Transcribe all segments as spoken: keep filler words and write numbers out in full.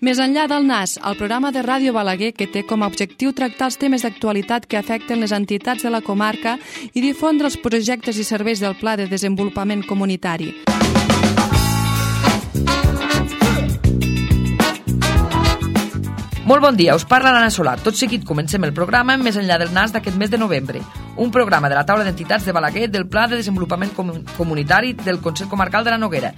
Més enllà del Nas, el programa de Ràdio Balaguer que té com a objectiu tractar els temes d'actualitat que afecten les entitats de la comarca i difondre els projectes i serveis del Pla de Desenvolupament Comunitari. Molt bon dia, us parla l'Anna Solà. Tot seguit comencem el programa Més enllà del Nas d'aquest mes de novembre, un programa de la taula d'entitats de Balaguer del Pla de Desenvolupament Comunitari del Consell Comarcal de la Noguera.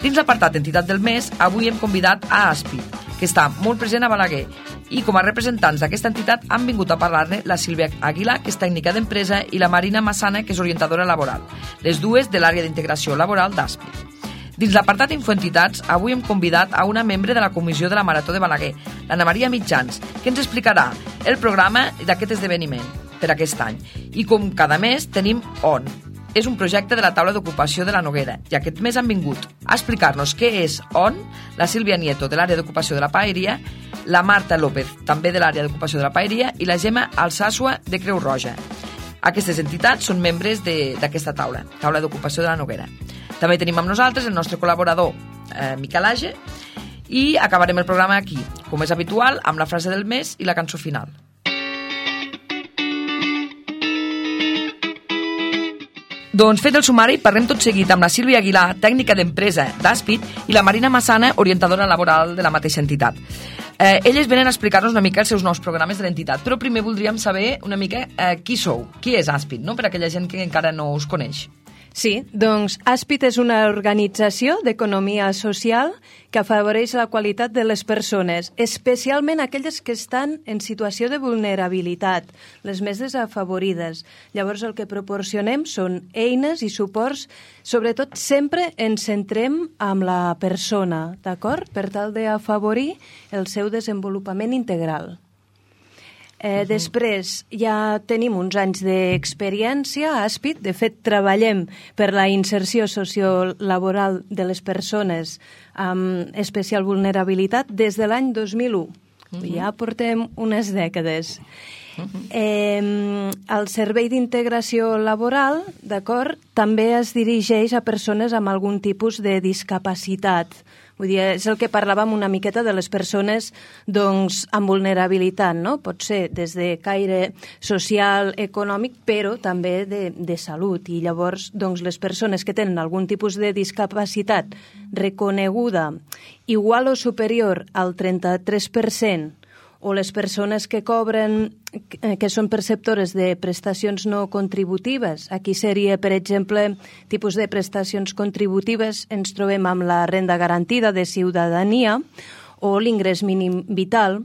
Dins l'apartat d'entitat del mes, avui hem convidat a Aspit, que està molt present a Balaguer, i com a representants d'aquesta entitat han vingut a parlar-ne la Sílvia Aguilar, que és tècnica d'empresa, i la Marina Massana, que és orientadora laboral, les dues de l'àrea d'integració laboral d'Aspit. Dins l'apartat Infoentitats, avui hem convidat a una membre de la comissió de la Marató de Balaguer, l'Anna Maria Mitjans, que ens explicarà el programa d'aquest esdeveniment per aquest any. I com cada mes tenim ON. És un projecte de la taula d'ocupació de la Noguera, i aquest mes han vingut a explicar-nos què és ON, la Sílvia Nieto, de l'àrea d'ocupació de la Paeria, la Marta López, també de l'àrea d'ocupació de la Paeria, i la Gemma Alsàsua, de Creu Roja. Aquestes entitats són membres d'aquesta taula, taula d'ocupació de la Noguera. També tenim amb nosaltres el nostre col·laborador, eh, Miquel Age, i acabarem el programa aquí, com és habitual, amb la frase del mes i la cançó final. Doncs fet el sumari, parlem tot seguit amb la Sílvia Aguilar, tècnica d'empresa d'Aspit, i la Marina Massana, orientadora laboral de la mateixa entitat. Eh, elles venen a explicar-nos una mica els seus nous programes de l'entitat, però primer voldríem saber una mica eh, qui sou, qui és Aspit, no? Per a aquella gent que encara no us coneix. Sí, doncs Aspit és una organització d'economia social que afavoreix la qualitat de les persones, especialment aquelles que estan en situació de vulnerabilitat, les més desafavorides. Llavors el que proporcionem són eines i suports, sobretot sempre ens centrem amb la persona, d'acord? Per tal d'afavorir el seu desenvolupament integral. Eh, després ja tenim uns anys d'experiència a Aspit. De fet, treballem per la inserció sociolaboral de les persones amb especial vulnerabilitat des de l'any dos mil u. Uh-huh. Ja portem unes dècades. Uh-huh. Eh, el Servei d'Integració Laboral, d'acord, també es dirigeix a persones amb algun tipus de discapacitat. Vull dir, és el que parlàvem una miqueta de les persones doncs, amb vulnerabilitat, no? Pot ser des de caire social, econòmic, però també de, de salut. I llavors doncs, les persones que tenen algun tipus de discapacitat reconeguda igual o superior al trenta-tres per cent, o les persones que cobren, que són perceptores de prestacions no contributives. Aquí seria, per exemple, tipus de prestacions contributives, ens trobem amb la renda garantida de ciutadania o l'ingrés mínim vital,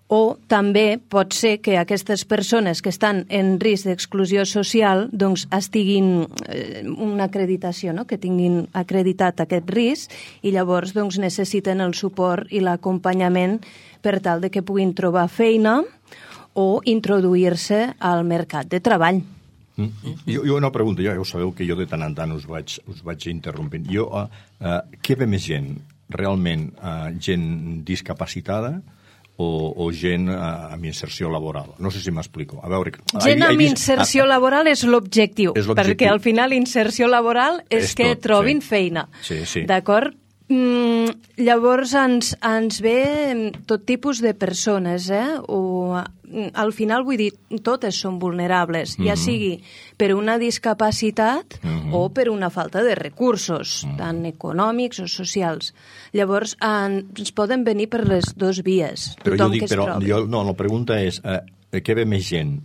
o també pot ser que aquestes persones que estan en risc d'exclusió social doncs estiguin eh, una acreditació, no? Que tinguin acreditat aquest risc i llavors doncs, necessiten el suport i l'acompanyament per tal de que puguin trobar feina o introduir-se al mercat de treball. Mm. Jo, jo una pregunta, ja ho sabeu que jo de tant en tant us vaig, us vaig interrompent. Jo, uh, uh, què ve més gent? Realment uh, gent discapacitada o, o gent uh, amb inserció laboral? No sé si m'explico. A veure, gent amb vist... inserció ah, laboral és l'objectiu, perquè al final inserció laboral és, és que tot, trobin sí. feina. Sí, sí. D'acord? Mm, llavors ens, ens ve tot tipus de persones, eh? O, al final, vull dir, totes són vulnerables, mm-hmm. ja sigui per una discapacitat mm-hmm. o per una falta de recursos, mm-hmm. tant econòmics o socials. Llavors, en, ens poden venir per les dues vies. Però jo dic, però jo, no, la pregunta és, eh, què ve més gent?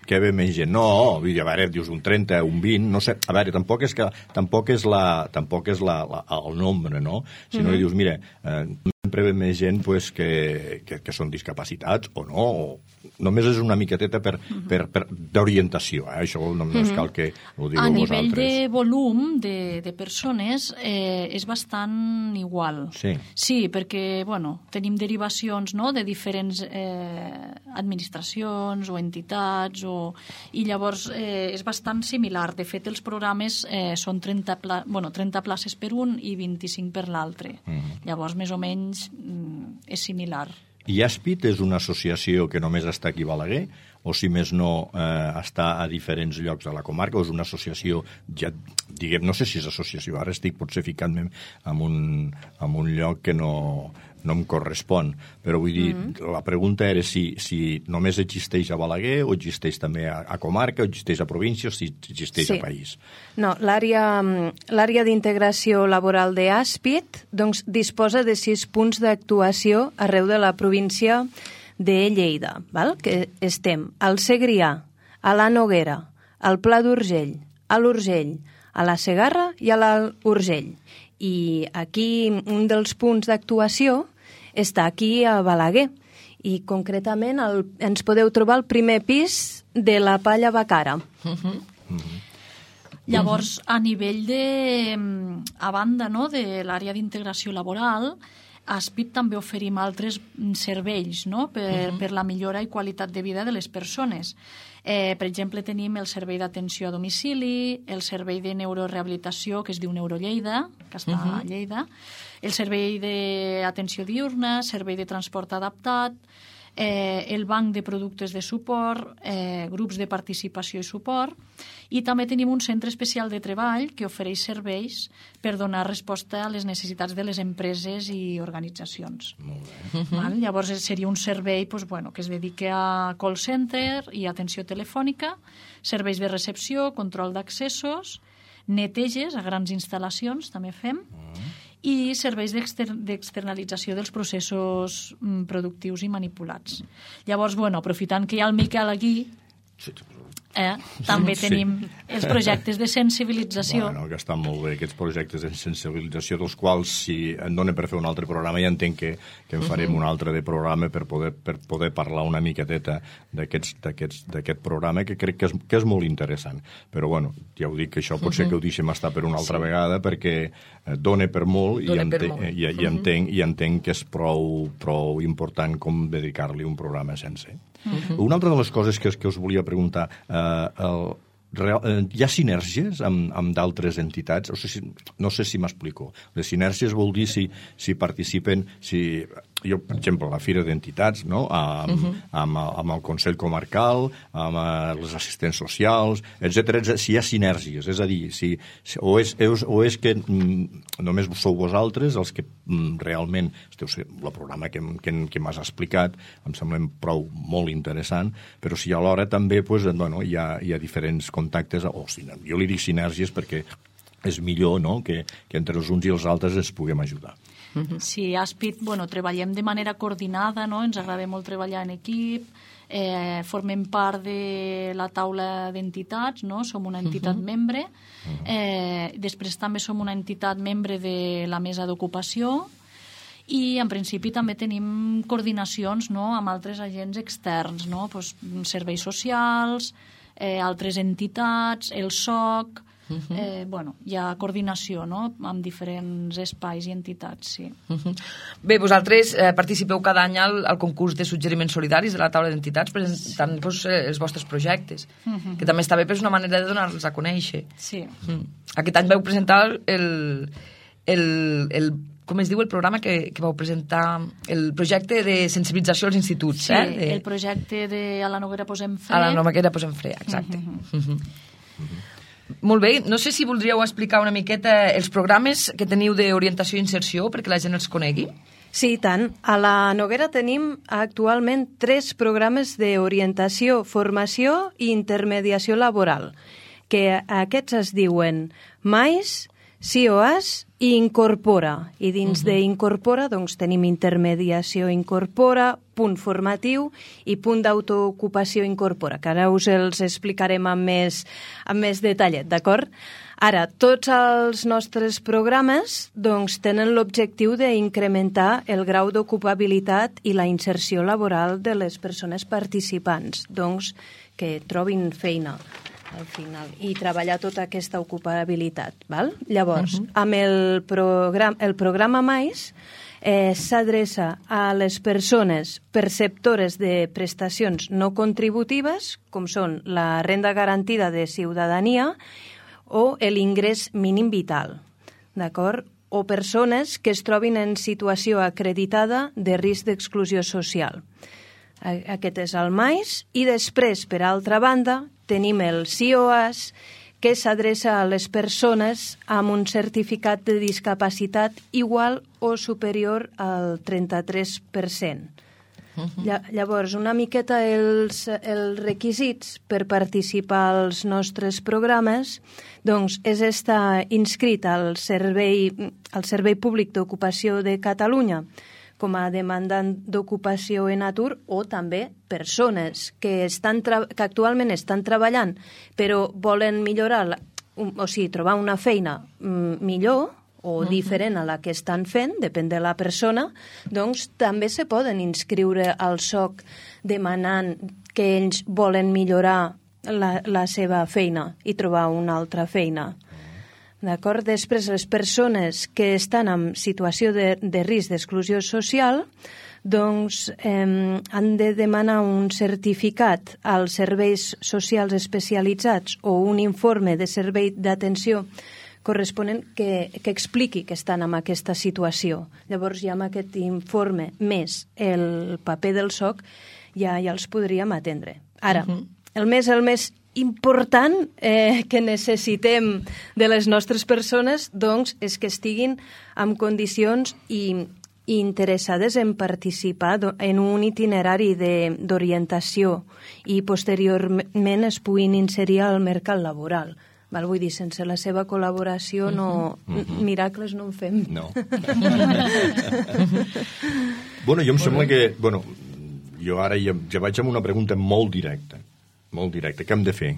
Què ve més gent? No, a veure, dius un trenta, un vint, no sé, a veure, tampoc és, que, tampoc és, la, tampoc és la, la, el nombre, no? Si no, mm-hmm. dius, mira, eh, sempre ve més gent pues, que, que, que són discapacitats o no, o només és una miqueteta per, mm-hmm. per, per, d'orientació, eh? Això no, no és cal que ho digueu vosaltres. A nivell de volum de, de persones eh, és bastant igual. Sí. Sí, perquè, bueno, tenim derivacions, no?, de diferents eh, administracions o entitats, o, i llavors eh, és bastant similar. De fet, els programes eh, són trenta, pla, bueno, trenta places per un i vint-i-cinc per l'altre. Mm-hmm. Llavors, més o menys, mm, és similar. I Aspit és una associació que només està aquí a Balaguer, o si més no eh, està a diferents llocs de la comarca, o és una associació, ja diguem, no sé si és associació, ara estic potser ficant-me en un, en un lloc que no, no em correspon. Però vull dir, mm-hmm. la pregunta era si, si només existeix a Balaguer o existeix també a, a comarca, o existeix a província o si existeix sí. a país. No, l'àrea l'àrea d'integració laboral d'Aspit doncs, disposa de sis punts d'actuació arreu de la província de Lleida, val? Que estem al Segrià, a la Noguera, al Pla d'Urgell, a l'Urgell, a la Segarra i a l'Urgell. I aquí un dels punts d'actuació està aquí a Balaguer i concretament el, ens podeu trobar al primer pis de la Palla Bacara. Uh-huh. Uh-huh. Llavors, a nivell de... a banda no, de l'àrea d'integració laboral, a Aspit també oferim altres serveis no? per, uh-huh. per la millora i qualitat de vida de les persones. Eh, per exemple, tenim el servei d'atenció a domicili, el servei de neurorehabilitació, que es diu Neurolleida, que està uh-huh. a Lleida, el servei d'atenció diurna, servei de transport adaptat, eh, el banc de productes de suport, eh, grups de participació i suport, i també tenim un centre especial de treball que ofereix serveis per donar resposta a les necessitats de les empreses i organitzacions. Molt bé. Uh-huh. Val? Llavors seria un servei pues, bueno, que es dedica a call center i atenció telefònica, serveis de recepció, control d'accessos, neteges a grans instal·lacions, també fem, uh-huh. i serveis d'externalització dels processos mm, productius i manipulats. Llavors, bueno, aprofitant que hi ha el Miquel aquí, eh, també sí. tenim els projectes de sensibilització. Bueno, que estan molt bé, aquests projectes de sensibilització, dels quals, si em dona per fer un altre programa, ja entenc que, que en farem uh-huh. un altre de programa per poder, per poder parlar una miqueteta d'aquest programa, que crec que és, que és molt interessant. Però, bueno, ja ho dic, que això pot ser uh-huh. que ho deixem estar per una altra sí. vegada, perquè dona per molt, dona i, ente, molt. I, i, uh-huh. entenc, i entenc que és prou, prou important com dedicar-li un programa sencer. Uh-huh. Una altra de les coses que, que us volia preguntar, eh, el, real, eh, hi ha sinergies amb, amb d'altres entitats? O sigui, no sé si m'explico. Les sinergies vol dir si, si participen, si, jo, per exemple, la Fira d'Entitats, no? amb, uh-huh. amb, amb el Consell Comarcal, amb les assistents socials, etcètera, etcètera, si hi ha sinergies, és a dir, si, si, o, és, o és que mm, només sou vosaltres els que mm, realment esteu el programa que, que, que m'has explicat, em sembla prou molt interessant, però si alhora també pues, bueno, hi, ha, hi ha diferents contactes, o jo li dic sinergies perquè és millor no? que, que entre els uns i els altres ens puguem ajudar. Sí, a Aspit, bueno, treballem de manera coordinada, no? Ens agrada molt treballar en equip, eh, formem part de la taula d'entitats, no? Som una entitat uh-huh. membre, eh, després també som una entitat membre de la mesa d'ocupació i en principi també tenim coordinacions no? amb altres agents externs, no? Pues, serveis socials, eh, altres entitats, el S O C, Uh-huh. Eh, bueno, hi ha coordinació no? amb diferents espais i entitats, sí. Uh-huh. Bé, vosaltres eh, participeu cada any al, al concurs de suggeriments solidaris de la taula d'entitats presentant sí. pues, eh, els vostres projectes, uh-huh. que també està bé, però és una manera de donar-los a conèixer. Sí. Uh-huh. Aquest any vau presentar el, el, el com es diu el programa que, que vau presentar, el projecte de sensibilització als instituts. Sí, eh? de... el projecte de A la Noguera posem fre. A la Noguera posem fre, exacte. Uh-huh. Uh-huh. Uh-huh. Molt bé, no sé si voldríeu explicar una miqueta els programes que teniu d'orientació i inserció perquè la gent els conegui. Sí, i tant. A la Noguera tenim actualment tres programes d'orientació, formació i intermediació laboral, que aquests es diuen Mais, C O A S i Incorpora. I dins uh-huh. d'Incorpora doncs, tenim intermediació Incorpora, punt formatiu i punt d'autoocupació Incorpora, que ara us els explicarem amb més, amb més detallet, d'acord? Ara, tots els nostres programes doncs, tenen l'objectiu d'incrementar el grau d'ocupabilitat i la inserció laboral de les persones participants, doncs, que trobin feina al final, i treballar tota aquesta ocupabilitat. Val? Llavors, uh-huh. amb el, program, el programa Mais eh, s'adreça a les persones perceptores de prestacions no contributives, com són la renda garantida de ciutadania o l'ingrés mínim vital, d'acord? O persones que es trobin en situació acreditada de risc d'exclusió social. Aquest és el Mais, i després, per altra banda, tenim el C O A S, que s'adreça a les persones amb un certificat de discapacitat igual o superior al trenta-tres per cent. Uh-huh. Llavors, una miqueta els, els requisits per participar als nostres programes doncs, és estar inscrit al Servei, al Servei Públic d'Ocupació de Catalunya com a demandant d'ocupació en atur, o també persones que, estan que actualment estan treballant però volen millorar, o sigui, trobar una feina millor o diferent a la que estan fent, depèn de la persona, doncs també se poden inscriure al S O C demanant que ells volen millorar la, la seva feina i trobar una altra feina. D'acord? Després, les persones que estan en situació de, de risc d'exclusió social doncs eh, han de demanar un certificat als serveis socials especialitzats o un informe de servei d'atenció corresponent que, que expliqui que estan en aquesta situació. Llavors, ja amb aquest informe més el paper del S O C ja, ja els podríem atendre. Ara, uh-huh. el més, el més important eh, que necessitem de les nostres persones doncs, és que estiguin en condicions i, i interessades en participar en un itinerari d'orientació i posteriorment es puguin inserir al mercat laboral. Val? Vull dir, sense la seva col·laboració no, uh-huh. miracles no en fem. No. Bueno, jo em sembla que... Bueno, jo ara ja, ja vaig amb una pregunta molt directa. Molt directe. Què hem de fer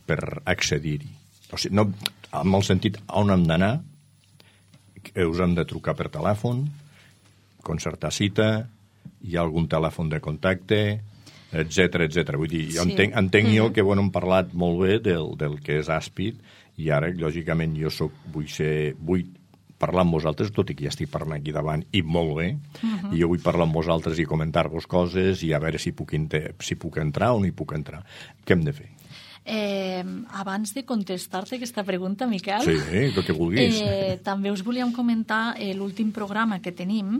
per accedir-hi? O sigui, no, en el sentit, on hem d'anar? Us hem de trucar per telèfon, concertar cita, hi ha algun telèfon de contacte, etcètera, etcètera. Vull dir, jo sí. entenc, entenc mm-hmm. jo que bueno, hem parlat molt bé del, del que és Aspit, i ara, lògicament, jo soc, vull ser... Vull parlar amb vosaltres, tot i que ja estic parlant aquí davant, i molt bé, uh-huh. i jo vull parlar amb vosaltres i comentar-vos coses i a veure si puc, si puc entrar o no hi puc entrar. Què hem de fer? Eh, abans de contestar-te aquesta pregunta, Miquel, sí, el que vulguis. Eh, també us volíem comentar eh, l'últim programa que tenim,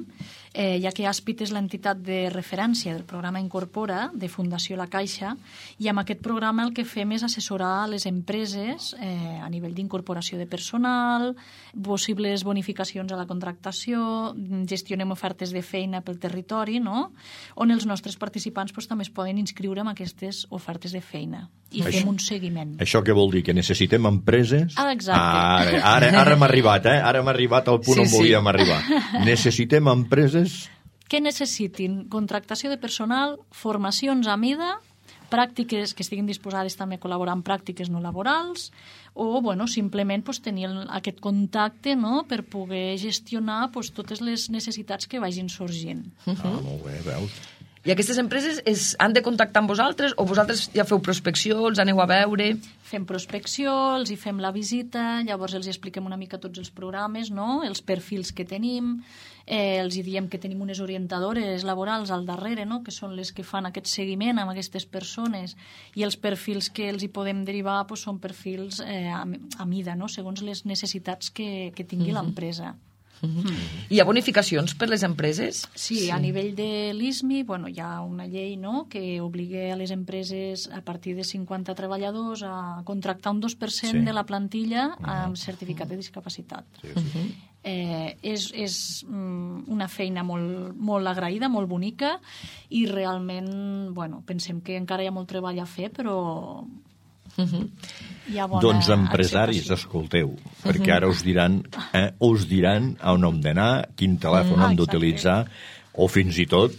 eh, ja que Aspit és l'entitat de referència del programa Incorpora de Fundació La Caixa, i amb aquest programa el que fem és assessorar les empreses eh, a nivell d'incorporació de personal, possibles bonificacions a la contractació, gestionem ofertes de feina pel territori, no? On els nostres participants pues, també es poden inscriure en aquestes ofertes de feina i això, fem un seguiment. Això què vol dir? Que necessitem empreses? Ah, exacte. Ara, ara, ara hem arribat, eh? Ara hem arribat al punt sí, on volíem sí. arribar. Necessitem empreses... Que necessitin contractació de personal, formacions a mida, pràctiques que estiguin disposades també a col·laborar en pràctiques no laborals, o bueno, simplement pues, tenir aquest contacte no? per poder gestionar pues, totes les necessitats que vagin sorgint. Ah, molt bé, veus? I aquestes empreses es, han de contactar amb vosaltres o vosaltres ja feu prospecció, els aneu a veure? Fem prospecció, els hi fem la visita, llavors els hi expliquem una mica tots els programes, no? Els perfils que tenim, eh, els hi diem que tenim unes orientadores laborals al darrere, no? Que són les que fan aquest seguiment amb aquestes persones, i els perfils que els hi podem derivar pues, són perfils eh, a, a mida, no? Segons les necessitats que, que tingui mm-hmm. l'empresa. Mm-hmm. Hi ha bonificacions per les empreses? Sí, sí. A nivell de l'I S M I bueno, hi ha una llei no, que obliga a les empreses a partir de cinquanta treballadors a contractar un dos per cent sí. de la plantilla amb certificat de discapacitat. Sí, sí. Uh-huh. Eh, és és um, una feina molt, molt agraïda, molt bonica, i realment bueno, pensem que encara hi ha molt treball a fer, però... Uh-huh. Doncs empresaris, escolteu, uh-huh. perquè ara us diran eh, us diran on hem d'anar, quin telèfon uh-huh. hem d'utilitzar, o fins i tot,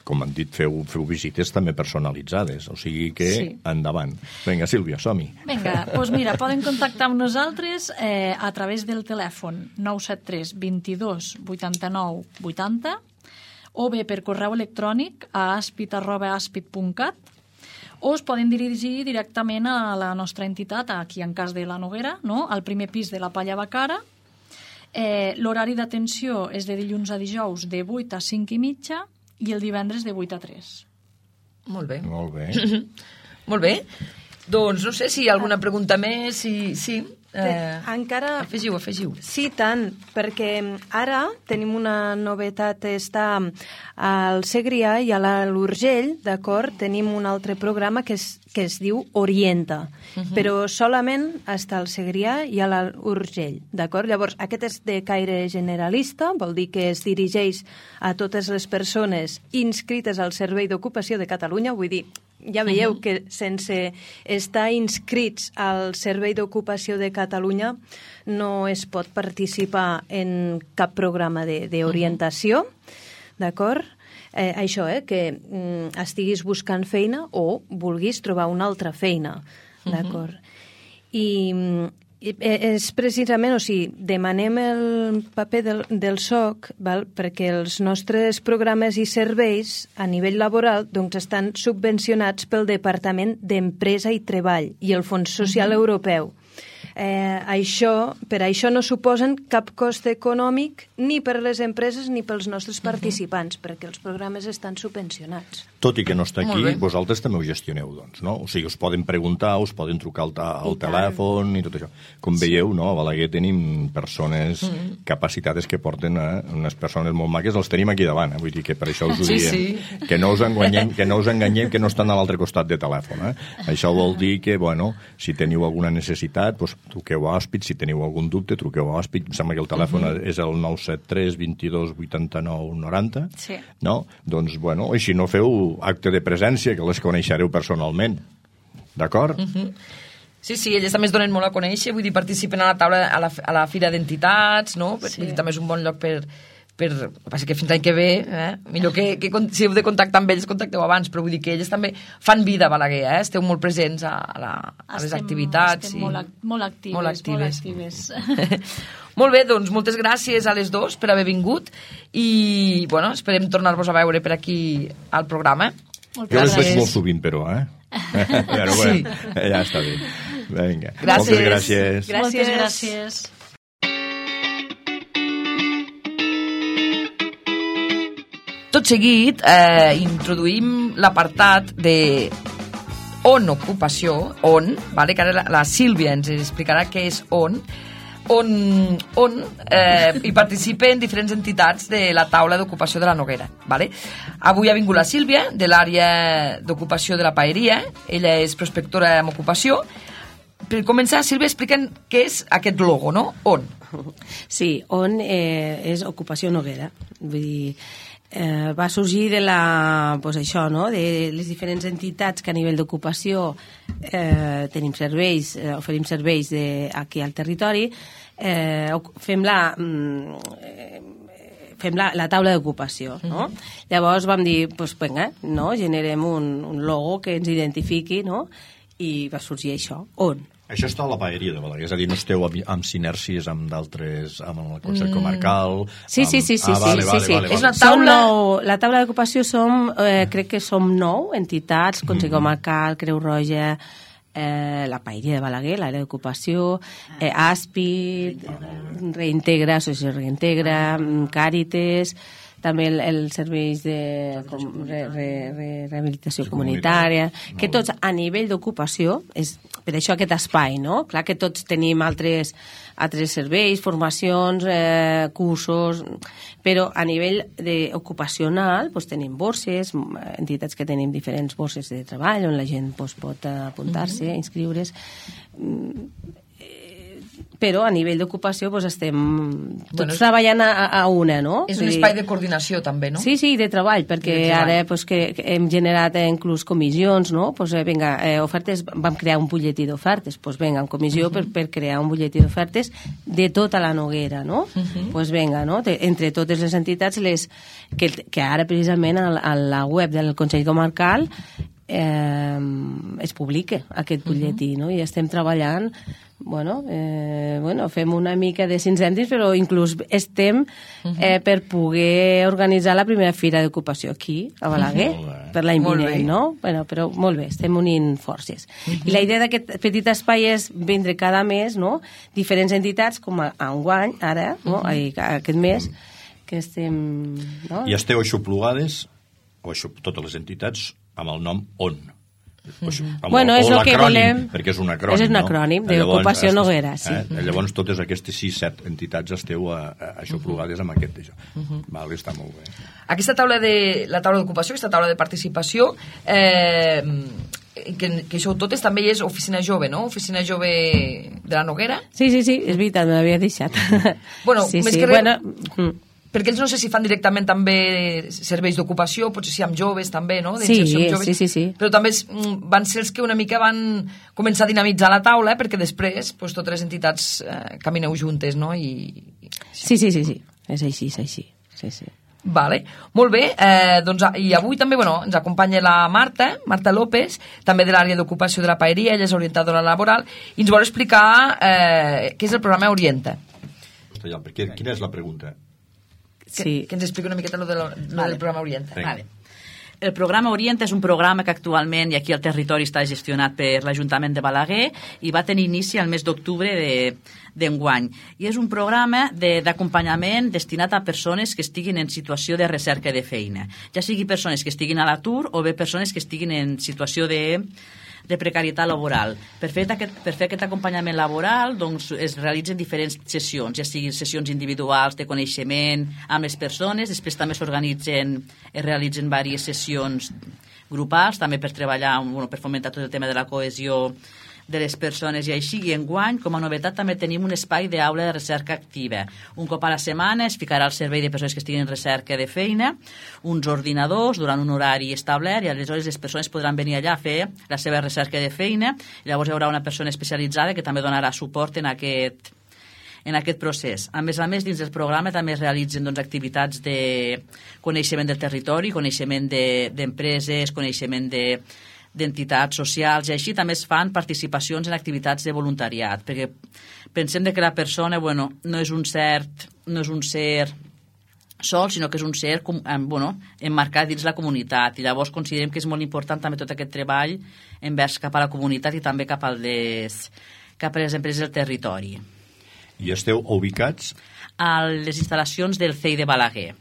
com han dit, feu, feu visites també personalitzades, o sigui que sí. endavant. Vinga, Sílvia, som-hi. Vinga, doncs mira, poden contactar amb nosaltres eh, a través del telèfon nou set tres vint-i-dos vuitanta-nou vuitanta o bé per correu electrònic a aspit arroba aspit punt cat, o es poden dirigir directament a la nostra entitat, aquí en cas de la Noguera, no? Al primer pis de la Palla Bacara. Eh, L'horari d'atenció és de dilluns a dijous de vuit a cinc i mitja i el divendres de vuit a tres. Molt bé. Molt bé. Molt bé. Doncs no sé si hi ha alguna pregunta més. Si... Sí. Eh, encara... Afegiu, afegiu. Sí, tant, perquè ara tenim una novetat, està al Segrià i a l'Urgell, d'acord? Tenim un altre programa que es, que es diu Orienta, uh -huh. però solament està al Segrià i a l'Urgell, d'acord? Llavors, aquest és de caire generalista, vol dir que es dirigeix a totes les persones inscrites al Servei d'Ocupació de Catalunya, vull dir, ja veieu uh-huh. que sense estar inscrits al Servei d'Ocupació de Catalunya no es pot participar en cap programa d'orientació, uh-huh. d'acord? Eh, això, eh, que mm, estiguis buscant feina o vulguis trobar una altra feina, d'acord? Uh-huh. I, i és precisament, o sigui, demanem el paper del, del S O C, val? Perquè els nostres programes i serveis a nivell laboral doncs, estan subvencionats pel Departament d'Empresa i Treball i el Fons Social uh-huh. Europeu. Eh, això, per això no suposen cap cost econòmic ni per les empreses ni pels nostres participants, uh-huh. perquè els programes estan subvencionats. Tot i que no està aquí, vosaltres també ho gestioneu, doncs, no? O sigui, us poden preguntar, us poden trucar al, al telèfon i tot això. Com sí. veieu, no? A Balaguer tenim persones mm. capacitades que porten eh? unes persones molt maques, els tenim aquí davant, eh? Vull dir que per això us ho sí, diem. Sí. Que no us enganyem, que no us enganyem, que no estan a l'altre costat de telèfon, eh? Això vol dir que, bueno, si teniu alguna necessitat, doncs truqueu a Òspit, si teniu algun dubte, truqueu a Òspit, em sembla que el telèfon uh-huh. és el nou set tres, vint-i-dos, vuitanta-nou, noranta, sí. no? Doncs, bueno, així no feu acte de presència, que les coneixereu personalment. D'acord? Uh-huh. Sí, sí, elles també es donen molt a conèixer, vull dir, participen a la taula, a la, a la Fira d'Entitats, no? Sí. Vull dir, també és un bon lloc per... per el que passa que fins l'any que ve, eh? millor que, que si heu de contactar amb ells, contacteu abans, però vull dir que elles també fan vida a Balaguer, eh? Esteu molt presents a, a, la, a les estem, activitats. Estem i... molt, molt actives. Molt actives. Molt actives. Molt bé, doncs moltes gràcies a les dos per haver vingut i, bueno, esperem tornar-vos a veure per aquí al programa. Moltes jo les gràcies. veig molt sovint, però, eh? Però bueno, sí. ja està bé. Vinga. Gràcies. Moltes gràcies. Gràcies. Moltes gràcies. Tot seguit, eh, introduïm l'apartat de on ocupació, on, vale? Que ara la, la Sílvia ens explicarà què és on, on, on eh, hi participen diferents entitats de la taula d'ocupació de la Noguera. Vale? Avui ha vingut la Sílvia, de l'àrea d'ocupació de la Paeria, ella és prospectora en ocupació. Per començar, Sílvia, expliquen què és aquest logo, no? On? Sí, on eh, és ocupació Noguera. Vull dir, eh, va sorgir de la, pues això, no? De les diferents entitats que a nivell d'ocupació eh, tenim serveis, eh, oferim serveis de, aquí al territori, eh, fem la... Eh, fem la, la taula d'ocupació, no? Mm-hmm. Llavors vam dir, pues, venga, no? Generem un, un logo que ens identifiqui, no? I va sorgir això, on? Això està a la Paeria de Balaguer, és a dir, no esteu amb, amb sinergies amb d'altres, amb el Consell Comarcal... Sí, amb... sí, sí, sí, ah, vale, sí, vale, sí, vale, sí. vale. És una taula... Nou, la taula d'ocupació som, eh, crec que som nou entitats, Consell Comarcal, Creu Roja, eh, la Paeria de Balaguer, l'àrea d'ocupació, eh, Àspid, Reintegra, Associació Reintegra, Càritas, també el, els serveis de com, re, re, re, rehabilitació sí, comunitària, que tots a nivell d'ocupació, és per això aquest espai, no? Clar que tots tenim altres, altres serveis, formacions, eh, cursos, però a nivell de ocupacional doncs, tenim borses, entitats que tenim diferents borses de treball on la gent doncs, pot apuntar-se, mm-hmm. inscriure's, però a nivell d'ocupació doncs, estem tots bueno, treballant a, a una, no? És un espai de coordinació també, no? Sí, sí, de treball, perquè de treball. Ara pues, que, que hem generat eh, inclús comissions, no? Pues, eh, vinga, eh, ofertes, vam crear un butlletí d'ofertes, pues, vinga, en comissió uh -huh. per, per crear un butlletí d'ofertes de tota la Noguera, no? Uh -huh. Pues vinga, no? De, entre totes les entitats les, que, que ara precisament a, a la web del Consell Comarcal eh, es publica aquest butlletí, uh -huh. no? I estem treballant. Bueno, eh, bueno, fem una mica de cinc cèntims, però inclús estem eh, per poder organitzar la primera fira d'ocupació aquí, a Balaguer, per l'any vinent, no? Bueno, però molt bé, estem unint forces. Uh-huh. I la idea d'aquest petit espai és vindre cada mes, no?, diferents entitats, com a, a un guany, ara, no?, uh-huh. aquest mes, que estem... No? I esteu aixoplugades, o aixop, totes les entitats, amb el nom ON. Pues, bueno, és el que volem... Perquè és un acrònim, és un acrònim no? d'ocupació Noguera, sí. Eh? Llavors totes aquestes sis, set entitats esteu a, a, aixoplugades amb aquest d'això. Uh-huh. Vale, està molt bé. Aquesta taula de la taula d'ocupació, aquesta taula de participació, eh, que, que això totes també és Oficina Jove, no? Oficina Jove de la Noguera. Sí, sí, sí, és veritat, me l'havia deixat. Bueno, sí, més sí, que res... Bueno, perquè ells no sé si fan directament també serveis d'ocupació, potser si amb joves també, no? Sí, joves, sí, sí, sí. Però també van ser els que una mica van començar a dinamitzar la taula, eh? Perquè després pues, totes les entitats eh, camineu juntes, no? I... Sí, sí, sí, sí, és així, és així. Sí, sí. Vale, molt bé, eh, doncs, i avui també bueno, ens acompanya la Marta, Marta López, també de l'àrea d'ocupació de la paeria, ella és orientadora laboral, i ens vol explicar eh, què és el programa Orienta. Hosti, ja, perquè, quina és la pregunta? Que, sí. que ens expliqui una miqueta lo, de lo, lo vale. del programa Orienta. Vale. El programa Orienta és un programa que actualment i aquí al territori està gestionat per l'Ajuntament de Balaguer i va tenir inici al mes d'octubre d'enguany. I és un programa d'acompanyament de, destinat a persones que estiguin en situació de recerca de feina. Ja sigui persones que estiguin a l'atur o bé persones que estiguin en situació de de precarietat laboral. Per fer aquest, per fer aquest acompanyament laboral doncs, es realitzen diferents sessions, ja siguin sessions individuals de coneixement amb les persones, després també s'organitzen, es realitzen diverses sessions grupals, també per treballar, bueno, per fomentar tot el tema de la cohesió de les persones i així, i enguany, com a novetat, també tenim un espai d'aula de recerca activa. Un cop a la setmana es ficarà al servei de persones que estiguin en recerca de feina, uns ordinadors durant un horari establert, i aleshores les persones podran venir allà a fer la seva recerca de feina, i llavors hi haurà una persona especialitzada que també donarà suport en aquest, en aquest procés. A més a més, dins del programa també es realitzen doncs, activitats de coneixement del territori, coneixement d'empreses, de, coneixement de d'entitats socials, i així també es fan participacions en activitats de voluntariat, perquè pensem que la persona bueno, no és un cert, no és un ser sol, sinó que és un ser bueno, emmarcat dins la comunitat, i llavors considerem que és molt important també tot aquest treball envers cap a la comunitat i també cap a les, cap a les empreses del territori. I esteu ubicats? A les instal·lacions del C E I de Balaguer.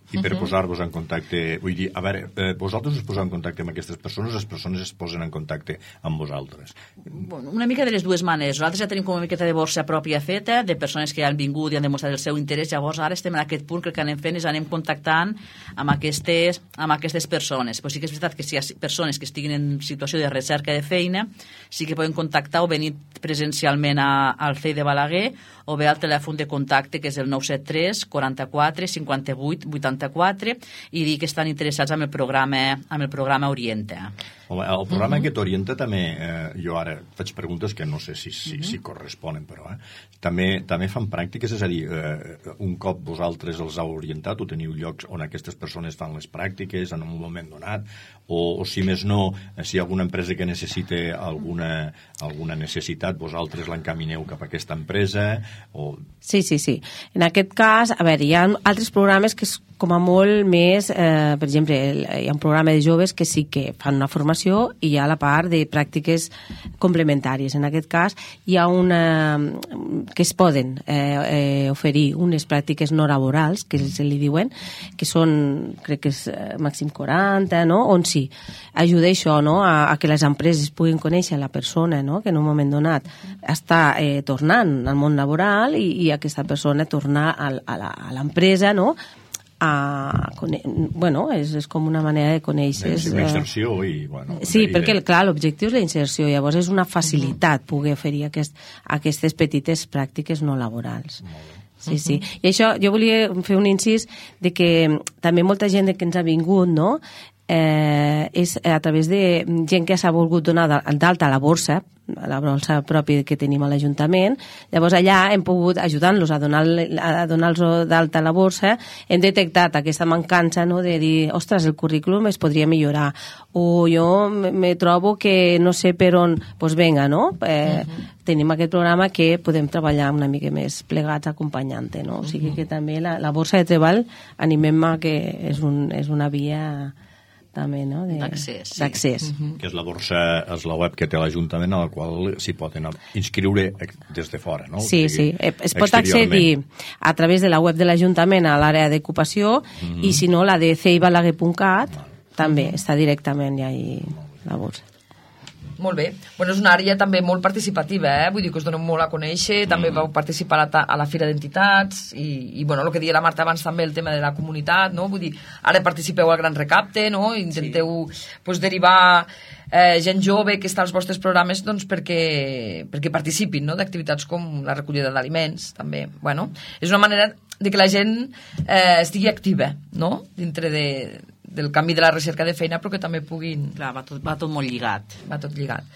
I per uh -huh. posar-vos en contacte, vull dir, a veure, eh, vosaltres us poseu en contacte amb aquestes persones, les persones es posen en contacte amb vosaltres. Bueno, una mica de les dues maneres. Nosaltres ja tenim com una miqueta de borsa pròpia feta, de persones que ja han vingut i han demostrat el seu interès, llavors ara estem en aquest punt que el que anem fent és anem contactant amb aquestes, amb aquestes persones. Però sí que és veritat que si hi ha persones que estiguin en situació de recerca de feina, sí que poden contactar o venir presencialment a, al C E I de Balaguer o bé al telèfon de contacte que és el nou set tres, quaranta-quatre, cinquanta-vuit, vuitanta-quatre, i dir que estan interessats en el programa, amb el programa Orienta. Home, el programa uh -huh. que t'orienta també, eh, jo ara faig preguntes que no sé si, si, uh -huh. si corresponen, però eh, també, també fan pràctiques, és a dir, eh, un cop vosaltres els heu orientat o teniu llocs on aquestes persones fan les pràctiques en un moment donat, o, o si més no, si hi ha alguna empresa que necessite alguna, alguna necessitat, vosaltres l'encamineu cap a aquesta empresa, o... Sí, sí, sí. En aquest cas, a veure, hi ha altres programes que és com a molt més, eh, per exemple, hi ha un programa de joves que sí que fan una formació i hi ha la part de pràctiques complementàries. En aquest cas, hi ha una... que es poden eh, eh, oferir unes pràctiques no laborals, que se li diuen, que són, crec que és eh, màxim quaranta, no?, on sí, ajuda això, no?, a, a que les empreses puguin conèixer la persona, no?, que en un moment donat està eh, tornant al món laboral i, i aquesta persona tornar a, a l'empresa, no?, a, bueno, és, és com una manera de conèixer... És una inserció i, bueno... Sí, perquè, clar, l'objectiu és la inserció, llavors és una facilitat poder oferir aquest, aquestes petites pràctiques no laborals. Sí, sí. I això, jo volia fer un incís de que també molta gent que ens ha vingut, no?, eh, és a través de gent que s'ha volgut donar d'alta a la borsa, a la borsa pròpia que tenim a l'Ajuntament. Llavors allà hem pogut, ajudant-los a donar-los a donar d'alta a la borsa, hem detectat aquesta mancança, no?, de dir, ostres, el currículum es podria millorar, o jo me trobo que no sé per on, doncs pues venga, no? Eh, uh-huh. Tenim aquest programa que podem treballar una mica més plegats acompanyant-te, no? O sigui que també la, la borsa de treball animem-me que és, un, és una via... també, no?, d'accés. Sí. D'accés. Uh-huh. Que és la borsa, és la web que té l'Ajuntament a la qual s'hi poden inscriure des de fora, no? Sí, sí. Es pot accedir a través de la web de l'Ajuntament a l'àrea d'ocupació uh-huh. i si no, la de c e i balaguer punt cat uh-huh. també està directament ja ahí la borsa. Molt bé. Bueno, és una àrea també molt participativa, eh? Vull dir que us donem molt a conèixer, també vau participar a la, a la Fira d'Entitats i, i bueno, el que deia la Marta abans també, el tema de la comunitat, no? Vull dir, ara participeu al Gran Recapte, no? Intenteu sí. pues, derivar eh, gent jove que està als vostres programes doncs, perquè, perquè participin, no? D'activitats com la recollida d'aliments, també. Bueno, és una manera de que la gent eh, estigui activa, no? Dintre de del canvi de la recerca de feina, però que també puguin... Clar, va tot, va tot molt lligat. Va tot lligat.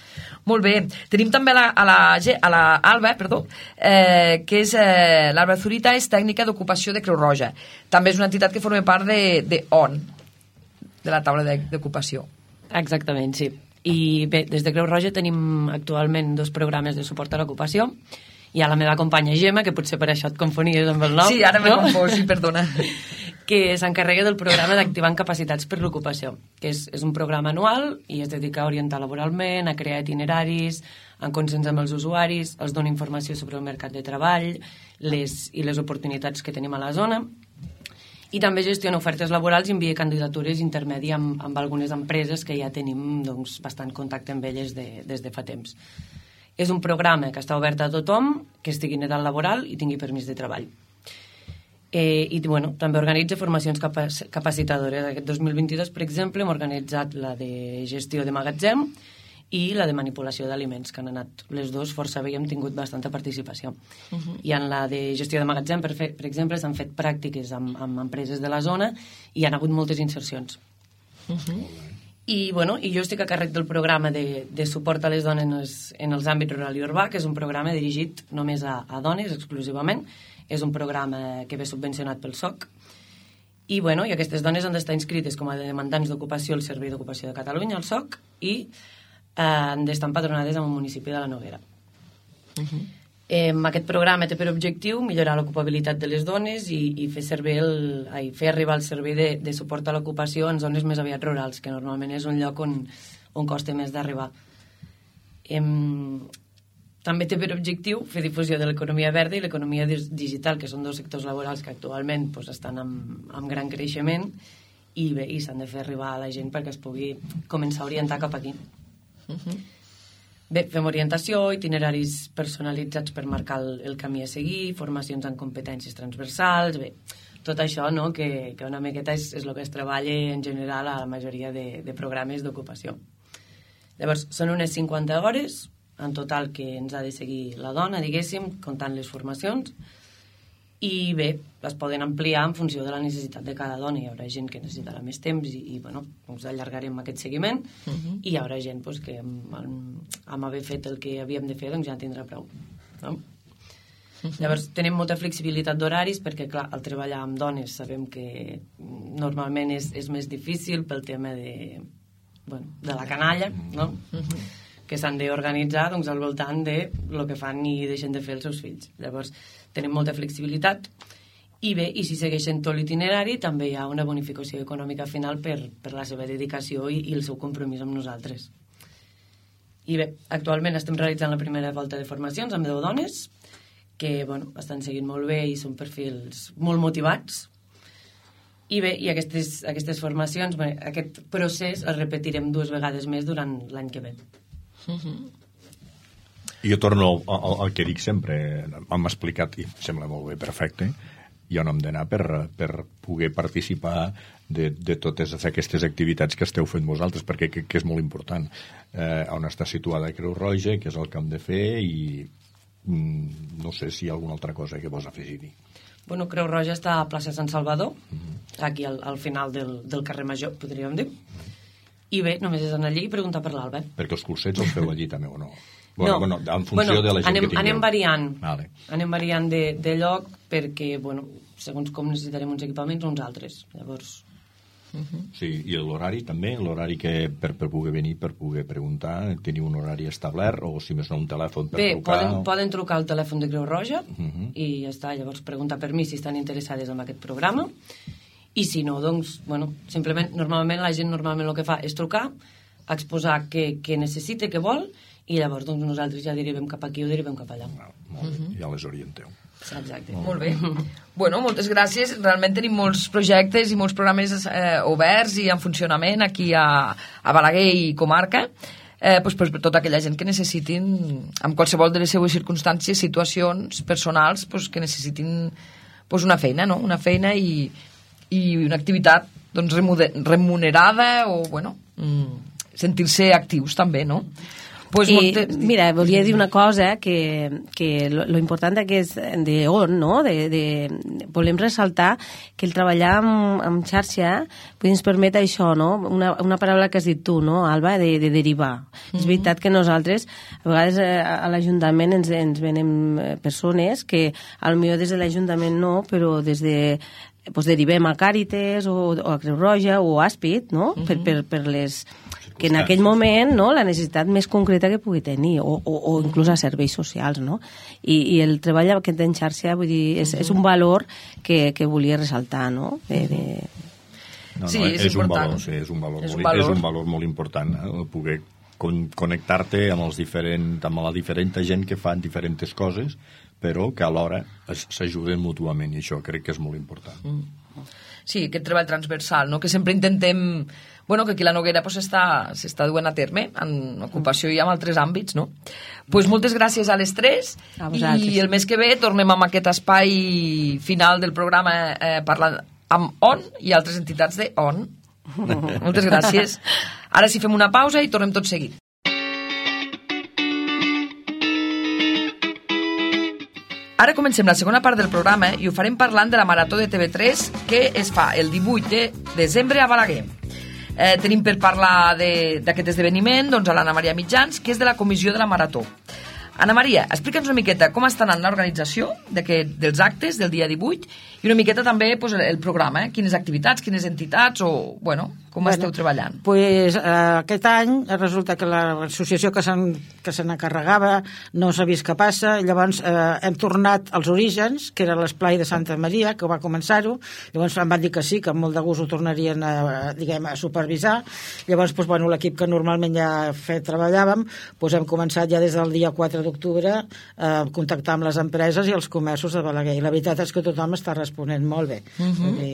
Molt bé. Tenim també a la, a la, a la Alba, perdó, eh, que és eh, l'Alba Zurita, és tècnica d'ocupació de Creu Roja. També és una entitat que forma part de, de O N, de la taula d'ocupació. Exactament, sí. I bé, des de Creu Roja tenim actualment dos programes de suport a l'ocupació. Hi ha la meva companya Gemma, que potser per això et confonies amb el nom. Sí, ara m'he no? confós, sí, perdona. Que s'encarrega del programa d'Activant Capacitats per l'Ocupació, que és, és un programa anual i es dedica a orientar laboralment, a crear itineraris, en consens amb els usuaris, els dona informació sobre el mercat de treball les, i les oportunitats que tenim a la zona, i també gestiona ofertes laborals i envia candidatures intermèdies amb, amb algunes empreses que ja tenim doncs, bastant contacte amb elles de, des de fa temps. És un programa que està obert a tothom que estigui en edat laboral i tingui permís de treball. Eh, i bueno, també organitza formacions capac capacitadores. Aquest dos mil vint-i-dos, per exemple, hem organitzat la de gestió de magatzem i la de manipulació d'aliments, que han anat les dues força bé i hem tingut bastanta participació. Uh -huh. I en la de gestió de magatzem, per, fer, per exemple, s'han fet pràctiques amb, amb empreses de la zona i hi ha hagut moltes insercions. Uh -huh. I, bueno, i jo estic a càrrec del programa de, de suport a les dones en els, en els àmbits rural i urbà, que és un programa dirigit només a, a dones exclusivament. És un programa que ve subvencionat pel S O C i, bueno, i aquestes dones han d'estar inscrites com a demandants d'ocupació al Servei d'Ocupació de Catalunya, al S O C, i eh, han d'estar empadronades en el municipi de la Noguera. Uh -huh. eh, aquest programa té per objectiu millorar l'ocupabilitat de les dones i, i fer, servir el, ai, fer arribar el servei de, de suport a l'ocupació en zones més aviat rurals, que normalment és un lloc on, on costa més d'arribar. Eh, També té per objectiu fer difusió de l'economia verda i l'economia digital, que són dos sectors laborals que actualment pues, estan amb, amb gran creixement i bé, i s'han de fer arribar a la gent perquè es pugui començar a orientar cap aquí. Uh-huh. Bé, fem orientació, itineraris personalitzats per marcar el, el camí a seguir, formacions en competències transversals, bé, tot això, no?, que, que una miqueta és, és el que es treballa en general a la majoria de, de programes d'ocupació. Llavors, són unes cinquanta hores en total que ens ha de seguir la dona, diguéssim, comptant les formacions, i bé, les poden ampliar en funció de la necessitat de cada dona. Hi haurà gent que necessitarà més temps i, i bueno, doncs allargarem aquest seguiment, uh-huh. i hi haurà gent doncs, que amb, amb haver fet el que havíem de fer doncs ja en tindrà prou. No? Uh-huh. Llavors, tenim molta flexibilitat d'horaris perquè, clar, al treballar amb dones sabem que normalment és, és més difícil pel tema de, bueno, de la canalla, no? Uh-huh. que s'han d'organitzar doncs, al voltant de lo que fan i deixen de fer els seus fills. Llavors, tenim molta flexibilitat i bé, i si segueixen tot l'itinerari també hi ha una bonificació econòmica final per, per la seva dedicació i, i el seu compromís amb nosaltres. I bé, actualment estem realitzant la primera volta de formacions amb deu dones que bueno, estan seguint molt bé i són perfils molt motivats. I bé, i aquestes, aquestes formacions, bé, aquest procés el repetirem dues vegades més durant l'any que ve. Uh-huh. Jo torno al, al que dic sempre, m'hem explicat i em sembla molt bé, perfecte, i on hem d'anar per, per poder participar de, de totes aquestes activitats que esteu fent vosaltres, perquè que, que és molt important. Eh, on està situada Creu Roja, que és el que hem de fer, i mm, no sé si hi ha alguna altra cosa que vols afegir-hi. Bueno, Creu Roja està a plaça Sant Salvador, uh-huh. aquí al, al final del, del carrer Major, podríem dir. I bé, només és anar allí i preguntar per l'Alba. Perquè els cursets els feu allí també o no? Bueno, no. bueno, en funció bueno, de la gent anem, que tingueu. Anem variant. Vale. Anem variant de, de lloc perquè, bueno, segons com necessitarem uns equipaments o uns altres. Llavors... Uh-huh. Sí, i l'horari també, l'horari que per, per poder venir, per poder preguntar, teniu un horari establert o si més no un telèfon per bé, trucar? Bé, poden, poden trucar al telèfon de Creu Roja uh-huh. i ja està, llavors preguntar per mi si estan interessades en aquest programa i si no, doncs, bueno, simplement, normalment la gent normalment el que fa és trucar, exposar què, què necessita, què vol, i llavors doncs, nosaltres ja derivem cap aquí o derivem cap allà. Ah, molt bé, uh-huh. ja les orienteu. Exacte. Molt bé. Bueno, moltes gràcies. Realment tenim molts projectes i molts programes eh, oberts i en funcionament aquí a, a Balaguer i comarca. eh, doncs per, per tota aquella gent que necessitin, amb qualsevol de les seues circumstàncies, situacions personals, doncs que necessitin doncs una feina, no? Una feina i, i una activitat doncs, remunerada o, bueno, sentir-se actius també, no? Pues I, molte... Mira, volia dir una cosa que, que lo, lo important d'aquest de on, no? De, de, volem ressaltar que el treballar amb, amb xarxa pues, ens permet això, no? Una, una paraula que has dit tu, no, Alba, de, de derivar. Mm-hmm. És veritat que nosaltres, a vegades a l'Ajuntament ens, ens venem persones que potser des de l'Ajuntament no, però des de pues, derivem a Càritas o, o a Creu Roja o a Àspid, no? Mm-hmm. per, per, per les... que en aquell moment, no, la necessitat més concreta que pugui tenir, o, o, o inclús a serveis socials, no? I, i el treball aquest en xarxa, vull dir, és, és un valor que, que volia ressaltar, no? De, de... No, no, sí, és, és, un valor, sí, és un valor, és un valor. És un valor molt important, eh? Poder con connectar-te amb, els diferent, amb la diferent gent que fan diferents coses, però que alhora s'ajuden mútuament, i això crec que és molt important. Mm. Sí, aquest treball transversal, no? Que sempre intentem... Bueno, que aquí la Noguera s'està pues, duent a terme en ocupació i en altres àmbits, no? Pues moltes gràcies a les tres i el mes que ve tornem amb aquest espai final del programa eh, parlant amb O N i altres entitats de O N. Moltes gràcies. Ara sí fem una pausa i tornem tot seguit. Ara comencem la segona part del programa i ho farem parlant de la Marató de T V tres que es fa el divuit de desembre a Balaguer. Eh, tenim per parlar d'aquest esdeveniment doncs, a l'Anna Maria Mitjans, que és de la comissió de la Marató. Anna Maria, explica'ns una miqueta com està anant l'organització dels actes del dia divuit i una miqueta també pues, el programa, eh? Quines activitats, quines entitats o, bueno, com bueno, esteu treballant? Pues, eh, aquest any resulta que l'associació que se n'encarregava no s'ha vist què passa, llavors eh, hem tornat als orígens, que era l'esplai de Santa Maria, que va començar-ho, llavors em van dir que sí, que amb molt de gust ho tornarien a, diguem, a supervisar, llavors pues, bueno, l'equip que normalment ja fet, treballàvem, pues, hem començat ja des del dia quatre d'octubre a eh, contactar amb les empreses i els comerços de Balaguer, i la veritat és que tothom està responent molt bé. Uh-huh. I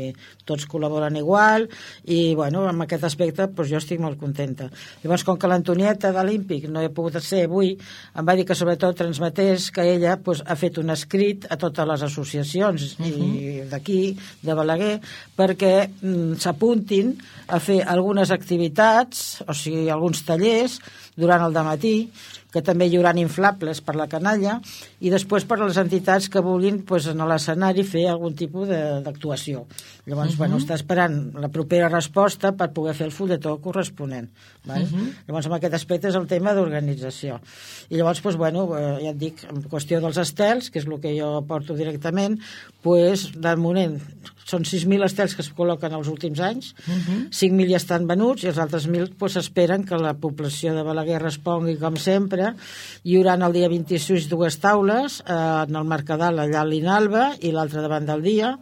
tots col·laboren igual i, bueno, en aquest aspecte pues, jo estic molt contenta. Llavors, com que l'Antonieta de l'Ímpic no he pogut ser avui, em va dir que sobretot transmetés que ella pues, ha fet un escrit a totes les associacions uh-huh. d'aquí, de Balaguer, perquè mm, s'apuntin a fer algunes activitats, o sigui, alguns tallers durant el dematí, que també hi haurà inflables per la canalla, i després per a les entitats que vulguin pues, en l'escenari fer algun tipus d'actuació. Llavors, uh-huh. bueno, està esperant la propera resposta per poder fer el fulletó corresponent. Val? Uh-huh. Llavors, en aquest aspecte és el tema d'organització. I llavors, pues, bueno, ja et dic, en qüestió dels estels, que és el que jo porto directament, pues, de moment són sis mil estels que es col·loquen els últims anys, uh-huh. cinc mil ja estan venuts i els altres mil pues, esperen que la població de Balaguer respongui com sempre. Hi haurà el dia vint-i-sis dues taules eh, en el Mercadal allà a l'Inalba i l'altre davant del dia.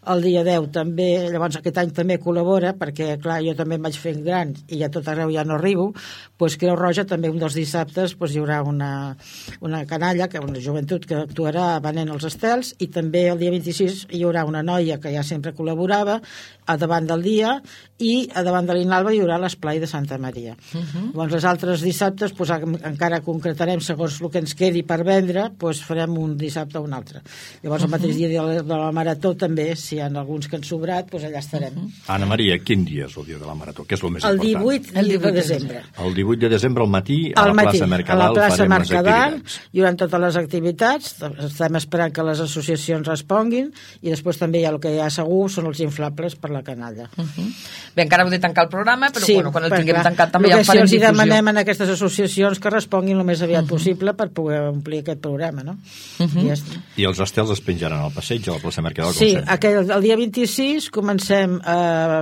El dia deu també, llavors aquest any també col·labora perquè clar, jo també em vaig fent gran i a tot arreu ja no arribo, doncs Creu Roja també un dels dissabtes doncs, hi haurà una, una canalla, que una joventut que actuarà venent els estels, i també el dia vint-i-sis hi haurà una noia que ja sempre col·laborava a davant del dia, i a davant de l'Inalba hi haurà l'esplai de Santa Maria. Uh-huh. Llavors els altres dissabtes doncs, encara concretarem segons el que ens quedi per vendre, doncs farem un dissabte o un altre. Llavors uh-huh. el mateix dia de la, de la Marató també, si hi ha alguns que han sobrat, doncs allà estarem. Uh-huh. Anna Maria, quin dia és el dia de la Marató? Què és el més el important? divuit, el divuit de desembre. El divuit de desembre al matí a al la matí, plaça Mercadal, a la plaça Mercadal hi haurà totes les activitats, estem esperant que les associacions responguin, i després també hi ha el que hi ha segur són els inflables per la canalla. Uh-huh. Bé, encara heu de tancar el programa, però sí, bueno, quan el clar, tinguem tancat també ja en farem farem difusió. Si difusió. demanem a aquestes associacions que responguin el més aviat uh-huh. possible per poder omplir aquest programa, no? Uh-huh. I, ja I els estels es penjaran al passeig, a la plaça Mercadal, com sí, sempre. aquell, el dia vint-i-sis comencem a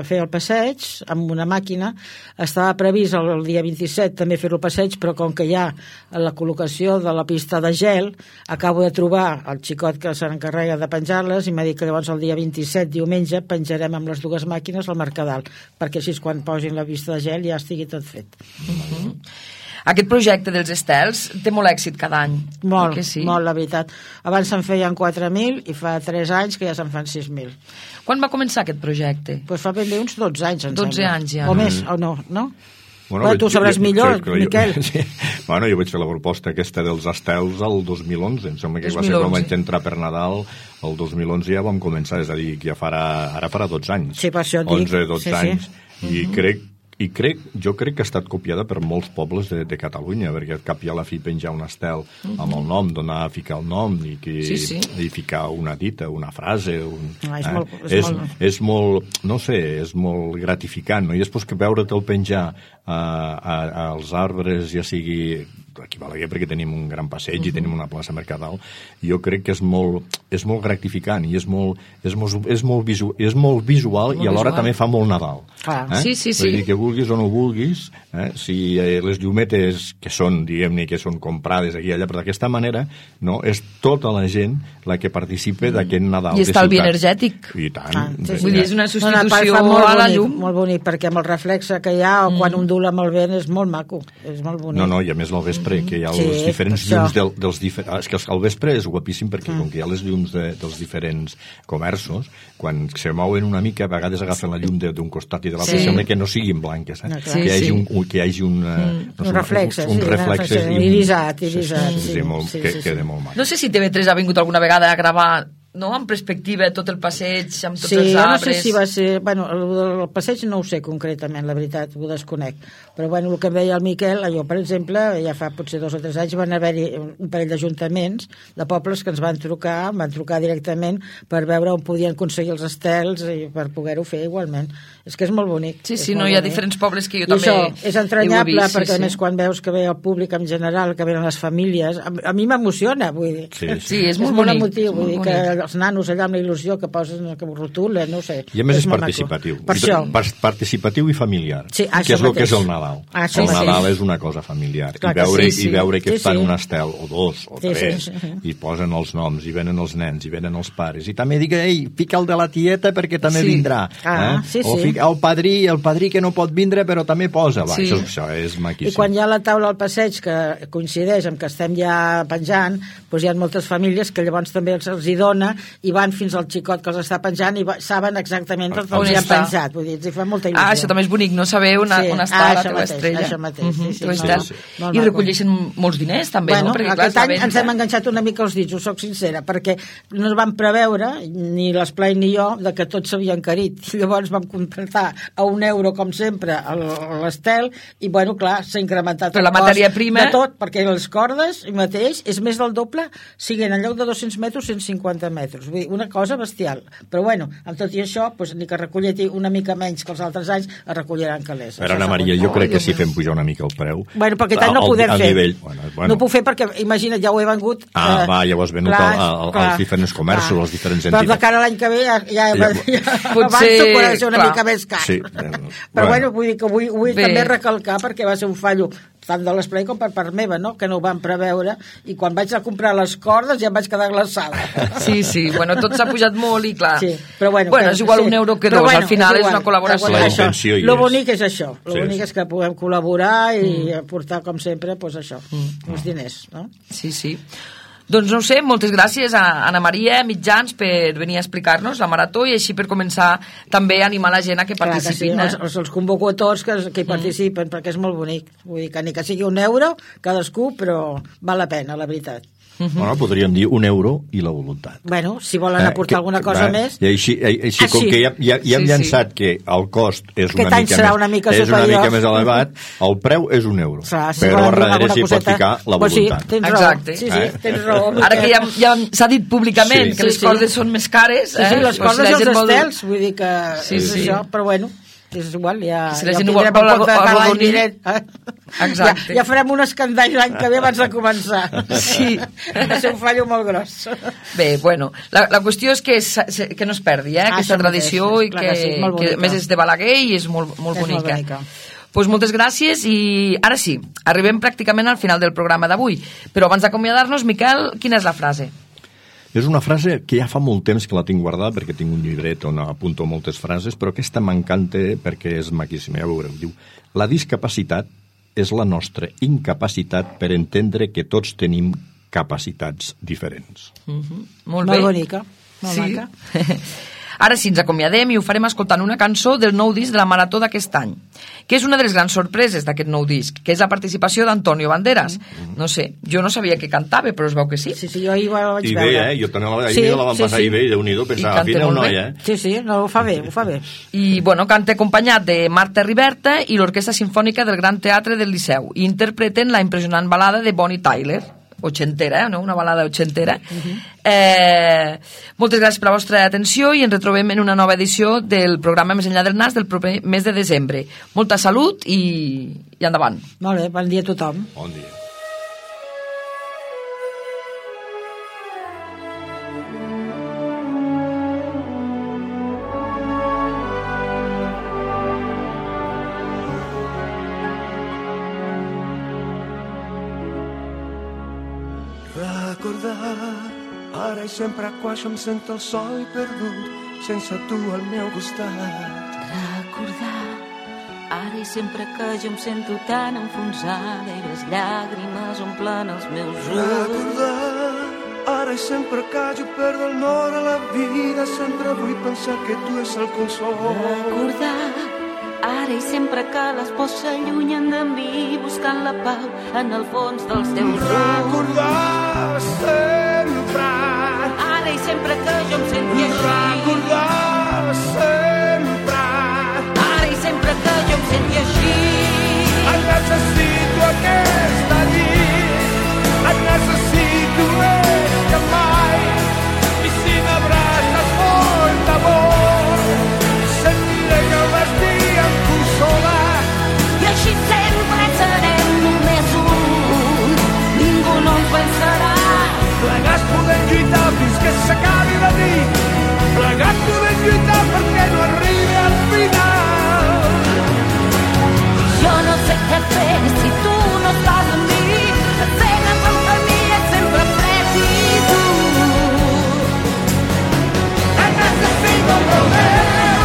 fer el passeig amb una màquina. Estava previst el, el dia vint-i-set també fer el passeig, però com que hi ha la col·locació de la pista de gel, acabo de trobar el xicot que se n'encarrega de penjar-les i m'ha dit que llavors el dia vint-i-set, diumenge, penjarem amb les dues màquines al Mercadal, perquè així quan posin la pista de gel ja estigui tot fet. Uh-huh. Aquest projecte dels estels té molt èxit cada any. Molt, sí? molt, la veritat. Abans se'n feien quatre mil i fa tres anys que ja se'n fan sis mil. Quan va començar aquest projecte? Pues fa ben bé uns dotze anys, em dotze sembla. anys ja. O més, o no, no? Bueno, bueno, tu sabràs millor, jo, Miquel. Jo, sí. Bueno, jo vaig fer la proposta aquesta dels estels el dos mil onze, em sembla que dos va mil ser onze. quan vaig entrar per Nadal, el dos mil onze ja vam començar, és a dir, que ja farà, ara farà dotze anys. Sí, per això et dic. onze, dotze Sí, sí. anys. I uh-huh. crec I crec, jo crec que ha estat copiada per molts pobles de, de Catalunya, perquè al cap i a la fi penjar un estel uh-huh. amb el nom, donar a ficar el nom i, que, sí, sí. i ficar una dita, una frase. Un, ah, és, eh? molt, és, és, molt... és molt, no sé, és molt gratificant, no? I després que veure'l penjar a, a, als arbres, ja sigui aquí a Balaguer, perquè tenim un gran passeig uh-huh. i tenim una plaça mercadal, jo crec que és molt, és molt gratificant i és molt, és molt, és molt, visu, és molt visual molt i alhora visual. També fa molt Nadal. Ah. Eh? Sí, sí, sí. Vull dir que vulguis o no vulguis, eh? si eh, les llumetes que són, diguem-ne, que són comprades aquí i allà, però d'aquesta manera, no, és tota la gent la que participa mm. d'aquest Nadal. I estalvi energètic. I tant. Ah, sí, sí. Vull dir, és una substitució no, no, a la bonic, llum. Molt bonic, perquè amb el reflexe que hi ha, o mm. quan ondula amb el vent, és molt maco, és molt bonic. No, no, i a més al vespre, que hi ha Sí, els diferents això. llums del, dels diferents... És que al vespre és guapíssim perquè mm. com que hi ha les llums de, dels diferents comerços, quan se mouen una mica, a vegades agafen la llum d'un costat i de l'altre, Sí. sembla que no siguin blanques, eh? No, que, clar. hi hagi Sí, sí. un, que hi hagi un... Mm. No sé, Un reflexe, un, un sí, reflexe sí, i un- irisat, irisat, sí, sí, sí, sí, molt, sí, que sí, sí. queda molt maco. No sé si T V tres ha vingut alguna vegada a gravar, no?, en perspectiva, tot el passeig, amb tots Sí, els jo no arbres... sé si va ser... Bueno, el, el passeig no ho sé concretament, la veritat, ho desconec. Però, bueno, el que em deia el Miquel, jo, per exemple, ja fa potser dos o tres anys van haver-hi un parell d'ajuntaments de pobles que ens van trucar, van trucar directament per veure on podien aconseguir els estels i per poder-ho fer igualment. És que és molt bonic. Sí, és sí, no, molt hi ha bonic. diferents pobles que jo I també això és entranyable, ho he vist, perquè sí, a més sí. quan veus que ve el públic en general, que venen les famílies, a, a mi m'emociona, vull dir. Sí, sí. Sí, és És molt molt bonic. emotiu, és vull dir molt que bonic. els nanos allà amb la il·lusió que posen, que ho rotulen, no ho sé. I a més és, molt maco. participatiu. Per I això. par- participatiu i familiar. Sí, que això és el que mateix. és el Nadal. Ah, això el mateix. Nadal és una cosa familiar. Clar I que veure, sí, sí. I veure que Sí, fan sí. un estel, o dos, o Sí, tres, sí, sí. i posen els noms, i venen els nens, i venen els pares. I també dic, ei, fica el de la tieta perquè també Sí. vindrà. Ah, eh? sí, O sí. fica el padrí, el padrí que no pot vindre però també posa. Va, Sí. això, això és maquíssim. I quan hi ha la taula al passeig que coincideix amb que estem ja penjant, doncs hi ha moltes famílies que llavors també els, els hi dona i van fins al xicot que els està penjant i va, saben exactament on, On on hi han està. penjat. Vull dir, els hi fa molta il·lusió. Ah, això també és bonic, no? Saber on, Sí. on Ah, està la això teva mateix, estrella. això mateix, sí, Mhm, sí, teva sí, estel. sí. Molt I maco. recolleixen molts diners, també, Bueno, no? Perquè, clar, aquest és la any ens venda. hem enganxat una mica els dits, ho soc sincera, perquè no es van preveure, ni l'Esplai ni jo, de que tot s'havia encarit. Llavors vam contractar a un euro, com sempre, el- l'estel, i, bueno, clar, s'ha incrementat Però el la cost matèria prima- de tot, perquè les cordes, mateix, és més del doble, siguin en lloc de dos-cents metres, cent cinquanta metres. Vull dir, una cosa bestial. Però, bueno, amb tot i això, doncs, ni que recollir una mica menys que els altres anys, es recolliran calés. Però, Això Anna segur. Maria, jo crec que si fem pujar una mica el preu... Bueno, perquè tant no al- podem al fer. Nivell, bueno, bueno. No ho puc fer perquè, imagina't, ja ho he vengut... Ah, eh, va, ja ho has venut clar, al- al- clar, als diferents comerços, clar. als diferents Però de entitats. cara a l'any que ve ja, ja, ja, Ja- ja Potser, abans podrà ser una clar. mica més car. Sí, eh, Però bueno. bueno, vull dir que vull, vull Bé. també recalcar perquè va ser un fallo tant de l'esplai com per part meva, no? Que no ho van preveure, i quan vaig a comprar les cordes ja em vaig quedar glaçada. Sí, sí, bueno, tot s'ha pujat molt i clar... Sí, però bueno, bueno que- és igual sí. un euro que Però dos, bueno, al final és, igual. una col·laboració. La Això, intenció hi lo és. bonic és això, lo Sí, bonic sí. és que puguem col·laborar i aportar, com sempre, pues això, Mm. uns diners, no? Sí, sí. Doncs no ho sé, moltes gràcies a Anna Maria Mitjans per venir a explicar-nos la marató i així per començar també a animar la gent a que Clar que sí, participin. els, eh? els, els convoco a tots que, que hi participen, perquè és molt bonic. Vull dir que ni que sigui un euro, cadascú, però val la pena, la veritat. Bueno, podríem dir un euro i la voluntat. Bueno, si volen aportar alguna cosa va, més... I així, així Ah, com sí. que ja, ja, ja hem Sí, sí. llançat que el cost és Aquest una any mica, serà més, una mica és una superior. mica més elevat, el preu és un euro. Clar, si però volen a donar darrere alguna s'hi pot coseta, ficar la pues sí, voluntat. tens Exacte. raó. Sí, sí, Eh? tens raó. Ara que ja, ja s'ha dit públicament Sí. que les Sí, sí. cordes són més cares... Sí, sí, eh? les Però si cordes la i els gent vol- estels, vull dir que Sí, és sí. això, però bueno, és igual, ja, Si la ja gent ho vol- tindrem vol en compte arro- cada any arrodonir. vinent. Exacte. Ja, ja farem un escandall l'any que ve abans de començar. Sí. Va ser un fallo molt gros. Bé, bueno, la, la qüestió és que, s- se- que no es perdi, eh, Ah, aquesta això tradició mateix, i clar que, que sí, molt que a bonica. més és de Balaguer i és molt, molt És molt bonica. bonica. Pues moltes gràcies i ara sí, arribem pràcticament al final del programa d'avui. Però abans d'acomiadar-nos, Miquel, quina és la frase? És una frase que ja fa molt temps que la tinc guardada perquè tinc un llibret on apunto moltes frases, però aquesta m'encanta perquè és maquíssima, ja veureu. Diu, la discapacitat és la nostra incapacitat per entendre que tots tenim capacitats diferents. Mm -hmm. Molt Molt bé. bonica, molt sí. maca. Ara sí, ens acomiadem i ho farem escoltant una cançó del nou disc de la Marató d'aquest any, que és una de les grans sorpreses d'aquest nou disc, que és la participació d'Antonio Banderas. Mm-hmm. No sé, jo no sabia que cantava, però es veu que sí. Sí, sí, jo ahir la vaig I veure. bé, eh? Jo també la, sí, la van sí, passar sí. i bé, i Déu-n'hi-do, pensava, canta fina un molt noi, bé. eh? Sí, sí, no, ho fa bé, ho fa bé. I, bueno, canta acompanyat de Marta Riberta i l'Orquestra Simfònica del Gran Teatre del Liceu, i interpreten la impressionant balada de Bonnie Tyler, ochentera, eh? No? Una balada ochentera. Uh-huh. eh, moltes gràcies per la vostra atenció i ens retrobem en una nova edició del programa Més enllà del nas del proper mes de desembre. Molta salut i, i endavant. Molt bé, bon dia a tothom. Bon dia. Ara i sempre quan jo em sento el sol perdut, sense tu al meu costat. Recordar, ara i sempre que jo em sento tan enfonsada i les llàgrimes omplen els meus ulls. Recordar, ara i sempre que jo perdo el nord a la vida, sempre vull pensar que tu és el consol. Recordar, ara i sempre que les pors s'allunyen de mi, buscant la pau en el fons dels teus ulls. Recordar sempre, ara i sempre que jo em senti així. Recordar sempre, ara i sempre que jo em senti així. et necessito aquesta nit, et necessito més que mai, i si m'abraces molt d'amor, sentiré que vas dir amb tu sola. I així sempre serem només un, ningú no ens vencerà. Plegats podem lluitar fins que s'acabi la nit, plegats podem lluitar perquè no arribi al final. Jo no sé què fer si tu no estàs amb mi, encegues el camí és sempre fred i dur. Et necessito prou meu,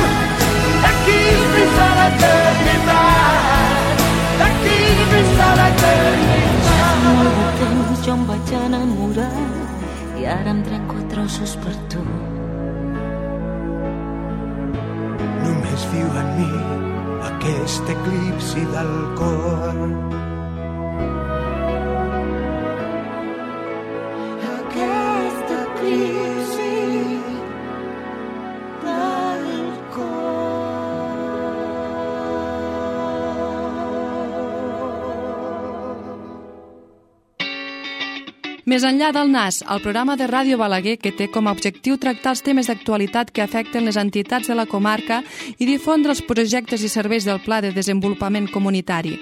d'aquí fins a l'eternitat, d'aquí fins a l'eternitat. Ja fa molt de temps jo em vaig enamorar i ara em trenco a trossos per tu. Només viu en mi aquest eclipsi del cor. Aquest eclipsi del cor. Més enllà del nas, el programa de Ràdio Balaguer que té com a objectiu tractar els temes d'actualitat que afecten les entitats de la comarca i difondre els projectes i serveis del Pla de Desenvolupament Comunitari.